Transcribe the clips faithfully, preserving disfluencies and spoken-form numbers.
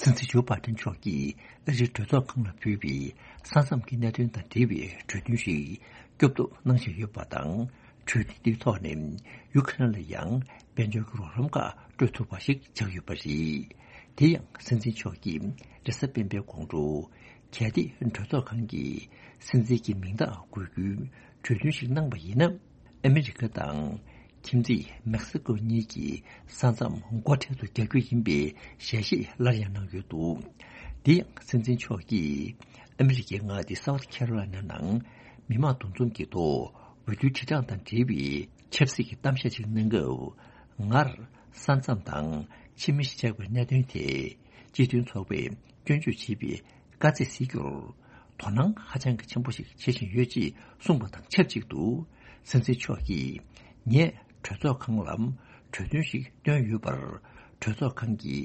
སྲིད་འཛིན་ཇོ་བྷའི་ཏན་མཆོག་གིས་ཨ་རིའི་གྲོས་ཚོགས་ཁང་ལ་ཕུལ་བའི་ས་མཚམས་ཀྱི་གནད་དོན་དང་འབྲེལ་བའི་གྲོས་མཐུན་ཞིག་སྐྱོབ་ཐབས་གནང་བཞིན་ཡོད་པ་དང་། གྲོས་མཐུན་དེའི་ཐོག་ནས་ཡུ་ཁ་རེན་ལ་ཡང་དཔལ་འབྱོར་གྱི་རོགས་རམ་ཁག་སྤྲོད་ཐུབ་པ་ཞིག་ཆགས་ཡོད་པ་རེད། དེ་ཡང་སྲིད་འཛིན་མཆོག་གིས་རེས་གཟའ་སྤེན་པའི་དགོང་དྲོ་གལ་ཏེ་གྲོས་ཚོགས་ཁང་གི་སྲིད་འཛིན་གྱི་མིང་རྟགས་འགོད་རྒྱུའི་གྲོས་མཐུན་ཞིག་གནང་པ་ཡིན་ན། ཨ་མི་རི་ཀ་དང་ཁྱིམ་མཚེས་མེག་སི་ཀོ་གཉིས་ཀྱི་ས་མཚམས་སྒོ་འཕྲལ་དུ་རྒྱག་རྒྱུ་ཡིན་པའི་ཞལ་བཞེས་སླར་ཡང་གནང་ཡོད་འདུག་དེ་ཡང་སྲིད་འཛིན་མཆོག་གིས་ཨ་མི་རི་ཀའི་མངའ་སྡེ་སའུ་ཐི་ཁེ་རོ་ལའི་ན་ནང་མི་མང་འདུ་འཛོམས་ཀྱི་ཐོག་འོས་བསྡུའི་དྲིལ་བསྒྲགས་དང་འབྲེལ་བའི་ཆབ་སྲིད་ཀྱི་གཏམ་བཤད་ཅིག་གནང་སྐབས། སྔར་ས་མཚམས་དང་ཕྱི་མི་གཞིས་ཆགས་པའི་གནད་དོན་ཐད་སྤྱི་མཐུན་ཚོགས་པས་སྐྱོན་བརྗོད་བྱས་པའི་དཀའ་ཚེགས་སེལ་རྒྱུར་དོ་སྣང་ཧ་ཅང་གི་ཆེན་པོ་ཞིག་བྱེད་བཞིན་ཡོད་ཅེས་གསུངས་པ་དང་ཆབས་ཅིག་ཏུ། སྲིད་འཛིན་མཆོག་གིས་ངས་གྲོས་ཚོགས་ཁང་ལ་གྲོས་མཐུན་ཞིག་བཏོན་ཡོད་པར་གྲོས་ཚོགས་ཁང་གི་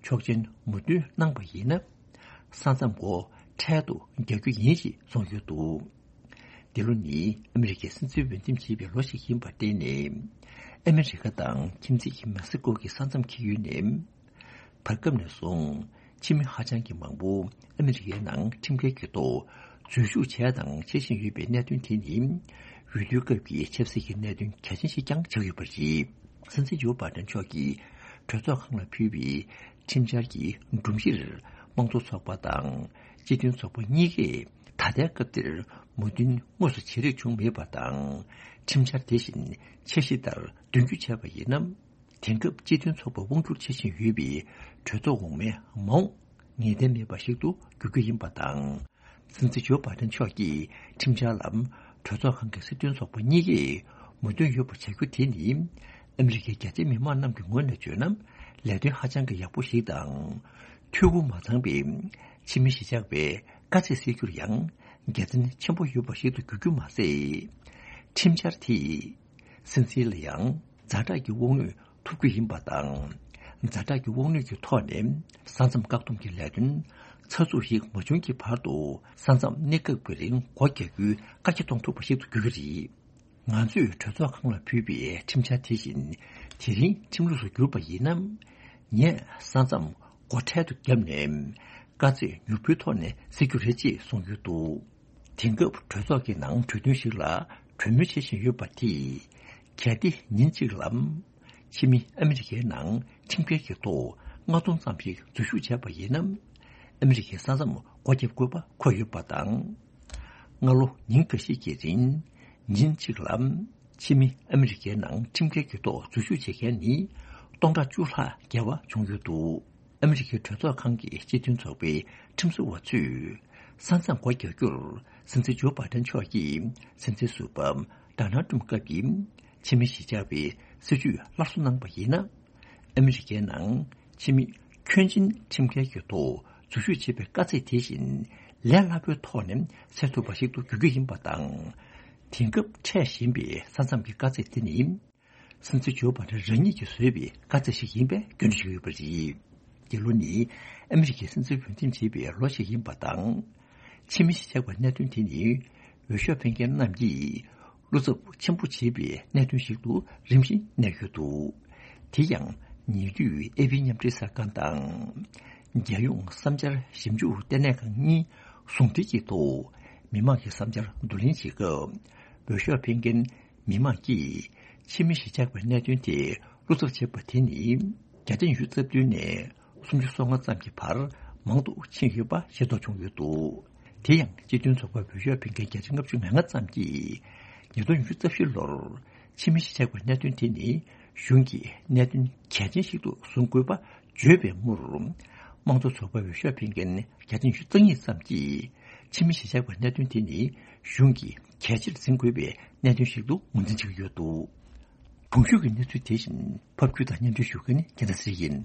ཆོག་མཆན་མུ་མཐུད་གནང་པ་ཡིན་ན། ས་མཚམས་སྒོ་འཕྲལ་དུ་རྒྱག་རྒྱུ་ཡིན་ཞེས་གསུངས་ཡོད་འདུག་འདི་ལོ་ནི་ཨ་མི་རི་ཀའི་སྲིད་འཛིན་འོས་འདེམས་བྱེད་པའི་ལོ་ཞིག་ཡིན་པར་བརྟེན་ནས། ཨ་མི་རི་ཀ་དང་ཁྱིམ་མཚེས་ཀྱི་མེག་སི་ཀོ་གི་ས་མཚམས་འཁེལ་ཡུལ་ནས། བར་སྐབས་ནས་བཟུང་ཕྱི་མི་ཧ་ཅང་གི་མང་པོ་ཨ་མི་རི་ཀའི་ནང་ཁྲིམས་འགལ་གྱི་ཐོག་འཛུལ་ཞུགས་བྱས་དང་བྱེད་བཞིན་ཡོད་པའི་གནད་དོན་དེ་ནི། འོས་བསྡུའི་སྐབས་ཀྱི་ཆབ་སྲིད་ཀྱི་གནད་དོན་གལ་ཆེན་ཞིག་ཀྱང་ཆགས་ཡོད་པ་རེད། སྲིད་འཛིན་ཇོ་བྷའི་ཏན་མཆོག་གིས་གྲོས་ཚོགས་ཁང་ལ་ཕུལ་བའི་ཁྲིམས་འཆར་གྱི་སྒྲོམ་གཞིར་དམངས་གཙོ་ཚོགས་པ་དང་སྤྱི་མཐུན་ཚོགས་པ་གཉིས་ཀས་ད་ལྟའི་སྐབས་དེར་མོས་མཐུན་དངོས་སུ་བྱེད་རེས་བྱུང་མེད་པ་དང་། ཁྲིམས་འཆར་དེ་བཞིན་འཆར་གཞི་ལྟར་དོན་འཁྱོལ་བྱས་པ་ཡིན་ན། དེང་སྐབས་སྤྱི་མཐུན་ཚོགས་པ་དབང་སྒྱུར་བྱེད་བཞིན་ཡོད་པའི་གྲོས་ཚོགས་འོག་མའི་མ་འོངས་ངེས་གཏན་མེད་པ་ཞིག་ཏུ་འགྱུར་རྒྱུ་ཡིན་པ་དང་། སྲིད་འཛིན་ཇོ་བྷའི་ཏན་མཆོག་གིས་ཁྲིམས་འཆར་ལ་གྲོས་ཚོགས་ཁང་གི་སྲིད་དོན་ཚོགས་པ་གཉིས་ཀས་མོས་མཐུན་ཡོད་པ་བྱ་རྒྱུ་དེ་ནི། ཨ་མི་རི་ཀའི་རྒྱ་ཆེའི་མི་མང་རྣམས་ཀྱི་ངོས་ནས་བརྗོད་ན། ལས་དོན་ཧ་ཅང་གི་ཡག་པོ་ཞིག་དང་། འཐུས་སྒོ་མ་ཚང་པའི་ཕྱི་མི་གཞིས་ཆགས་པའི་དཀའ་ཚེགས་སེལ་རྒྱུར་ཡང་དགེ་མཚན་ཆེན་པོ་ཡོད་པ་ཞིག་ཏུ་འགྱུར་རྒྱུ་མ་ཟད། ཁྲིམས་འཆར་དེས། སྲིད་འཛིན་ལ་ཡང་ཛ་དྲག་གི་དབང་ནུས་ཐོབ་རྒྱུ་ཡིན་པ་དང་། ཛ་དྲག་གི་དབང་ནུས་ཀྱི་ཐོག་ནས་ས་མཚམས་བཀག་སྡོམ་གྱི་ལས་དོན་ཚགས་ཚུད་ཞིག་མ་བྱུང་གི་བར་དུ་ས་མཚམས་གནས་སྐབས་ཀྱི་རིང་སྒོ་རྒྱག་རྒྱུའི་བཀག་རྒྱ་གཏོང་ཐུབ་པ་ཞིག་ཏུ་འགྱུར་གྱི་རེད། ང་ཚོས་གྲོས་ཚོགས་ཁང་ལ་ཕུལ་བའི་ཁྲིམས་འཆར་དེ་བཞིན་དེ་རིང་ཁྲིམས་ལུགས་སུ་གྱུར་པ་ཡིན་ན། ངས་ས་མཚམས་སྒོ་འཕྲལ་དུ་བརྒྱབ་ནས་དཀའ་ཚེགས་མྱུར་པོའི་ཐོག་ནས་སེལ་རྒྱུ་རེད་ཅེས་གསུངས་ཡོད་འདུག་དེང་སྐབས་གྲོས་ཚོགས་ཀྱི་ནང་གྲོས་མཐུན་ཞིག་ལ་གྲོས་མོལ་བྱེད་བཞིན་ཡོད་པ་དེས། གལ་ཏེ་ཉིན་གཅིག་ལ་ཕྱི་མི་ཨ་མི་རི་ཀའི་ནང་ཁྲིམས་འགལ་གྱི་ཐོག་ལྔ་སྟོང་ཙམ་ཞིག་འཛུལ་ཞུགས་བྱས་པ་ཡིན་ན། ཨ་མི་རི་ཀའི་ས་མཚམས་སྒོ་བརྒྱབ་དགོས་པ་འཁོད་ཡོད་པ་དང་། སྔ་ལོ་ཉིན་འགའ་ཤས་ཀྱི་རིང་ཉིན་གཅིག་ལ་ཕྱི་མི་ཨ་མི་རི་ཀའི་ནང་ཁྲིམས་འགལ་གྱི་ཐོག་འཛུལ་ཞུགས་བྱེད་མཁན་ནི་སྟོང་ཕྲག་བཅུ་ལྷག་བརྒལ་བ་བྱུང་ཡོད་འདུག་ཨ་མི་རི་ཀའི་གྲོས་ཚོགས་ཁང་གི་སྤྱི་མཐུན་ཚོགས་པའི་ཁྲིམས་བཟོ་བ་ཚོས་ས་མཚམས་སྒོ་རྒྱག་རྒྱུར་སྲིད་འཛིན་ཇོ་བྷའི་ཏན་མཆོག་གིས་སྲིད་འཛིན་ཟུར་པ་ཌོ་ནལ་ཏྲམ་སྐབས་ཀྱི་ཕྱི་མི་གཞིས་ཆགས་པའི་སྲིད་ཇུས་སླར་གསོ་གནང་པ་ཡིན་ན། ཨ་མི་རི་ཀའི་ནང་ཕྱི་མི་ཁྱོན་ཆེན་ཁྲིམས་འགལ་གྱི་ཐོག་འཛུལ་ཞུགས་བྱེད་པའི་དཀའ་ཚེགས་དེ་བཞིན་ལས་སླ་པོའི་ཐོག་ནས་སེལ་ཐུབ་པ་ཞིག་ཏུ་འགྱུར་རྒྱུ་ཡིན་པ་དང་། དེང་སྐབས་འཕྲད་བཞིན་པའི་ས་མཚམས་ཀྱི་དཀའ་ཚེགས་དེ་ནི། སྲིད་འཛིན་ཇོ་བྷའི་ཏན་རང་ཉིད་ཀྱིས་བཟོས་པའི་དཀའ་ཚེགས་ཤིག་ཡིན་པའི་སྐྱོན་བརྗོད་བྱས་ཡོད་པ་རེད། འདི་ལོ་ནི་ཨ་མི་རི་ཀའི་སྲིད་འཛིན་འོས་འདེམས་བྱེད་པའི་ལོ་ཞིག་ཡིན་པ་དང་། ཕྱི་མི་གཞིས་ཆགས་པའི་གནད་དོན་དེ་ནི་འོས་ཤོག་འཕེན་མཁན་རྣམས་ཀྱིས་བློ་འཚབ་ཆེན་པོ་བྱེད་པའི་གནད་དོན་ཞིག་ཏུ་རིམ་བཞིན་གནས་ཡོད་འདུག་དེ་ཡང་ཉེ་དུས་ཨེ་པི་མཉམ་འབྲེལ་གསར་ཁང་དང་། རྒྱལ་ཡོངས་བསམ་འཆར་ཞིབ་འཇུག་ལྟེ་གནས་ཁང་གཉིས་ཟུང་འབྲེལ་གྱི་ཐོག་མི་མང་གི་བསམ་འཆར་བསྡུ་ལེན་བྱེད་སྐབས། འོས་ཤོག་འཕེན་མཁན་མི་མང་གིས་ཕྱི་མི་གཞིས་ཆགས་པའི་གནད་དོན་དེ་བློ་འཚབ་བྱེད་པ་དེ་ནི་བརྒྱ་ཆ་ཉི་ཤུ་རྩ་བདུན་ནས་སུམ་ཅུ་སོ་ལྔ་ཙམ་གྱི་བར་མང་དུ་ཕྱིན་ཡོད་པ་ཤེས་རྟོགས་བྱུང་ཡོད་འདུག་དེ་ཡང་སྤྱི་མཐུན་ཚོགས་པའི་འོས་ཤོག་འཕེན་མཁན་བརྒྱ་ཆ་ལྔ་བཅུ་ང་ལྔ་ཙམ་གྱིས་ཉིས་སྟོང་ཉི་ཤུ་རྩ་བཞི་ལོར་ཕྱི་མི་གཞིས་ཆགས་པའི་གནད་དོན་དེ་ནི་གཞུང་གིས་གནད་དོན་གལ་ཆེན་ཞིག་ཏུ་བཟུང་དགོས་པ་བརྗོད་པའི་མུར། དམངས་གཙོ་ཚོགས་པའི་འོས་ཤོག་འཕེན་མཁན་བརྒྱ་ཆ་ཉི་ཤུ་རྩ་གཉིས་ཙམ་གྱིས་ཕྱི་མི་གཞིས་ཆགས་པའི་གནད་དོན་དེ་ནི་གཞུང་གིས་གལ་ཆེར་འཛིན་དགོས་པའི་གནད་དོན་ཞིག་ཏུ་ངོས་འཛིན་བྱེད་ཀྱི་ཡོད་འདུག་གོང་ཞུས་ཀྱི་གནས་ཚུལ་དེ་བཞིན་ཕབ་སྒྱུར་དང་སྙན་སྒྲོན་ཞུ་མཁན་ནི་རྒྱལ་མཚན་ཚེ་རིང་ཡིན།